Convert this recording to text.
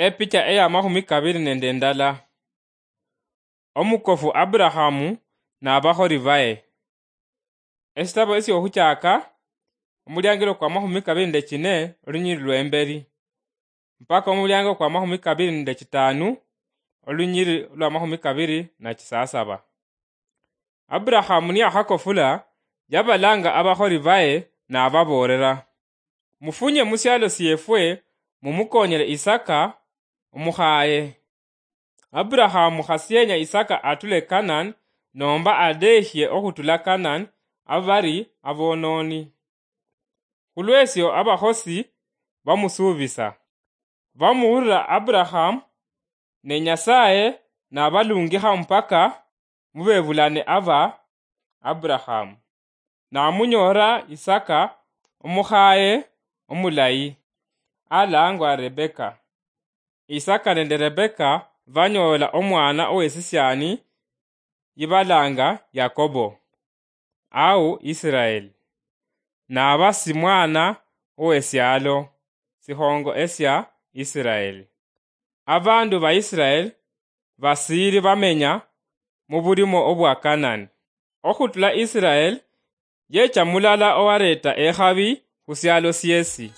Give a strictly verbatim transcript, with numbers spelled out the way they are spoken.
Epicha eya mahumi kabiri nende ndala. Omukofu Aburahamu nabakholi baye. Esitabo esyokhuchaka, omuliangilo kwa mahumi kabiri nende chine, olunyiri lwemberi, mpaka omuliango kwa mahumi kabiri nende chitanu, olunyiri lwa mahumi kabiri na chisasaba. Aburahamu niyakhakofula, yabalanga abakholi baye nababoolera, "Mufunye musialo siefwe, mumukonyele Isaka, omukhaye." Aburahamu khasienya Isaka atule Kanani, nomba adeshie okhutula Kanani, abari abononi. Khulwesio abakhosi bamusuubisa. Bamuhulira Aburahamu, ne Nyasaye nabalungikha mpaka mubebulane aba Aburahamu. Namunyoora Isaka omukhaye omulayi, alangwa Rebeka. Isaka nende Rebeka banyoola omwana owesisiani yibalanga Yakobo, au Israel. Naba si mwana owesialo, sihongo esia Israel. Abandu ba Israel basiiri bamenya mubulimo obwa Kanani. Okhutula Israel yecha mulala owareeta ekhabi khusialo siesi.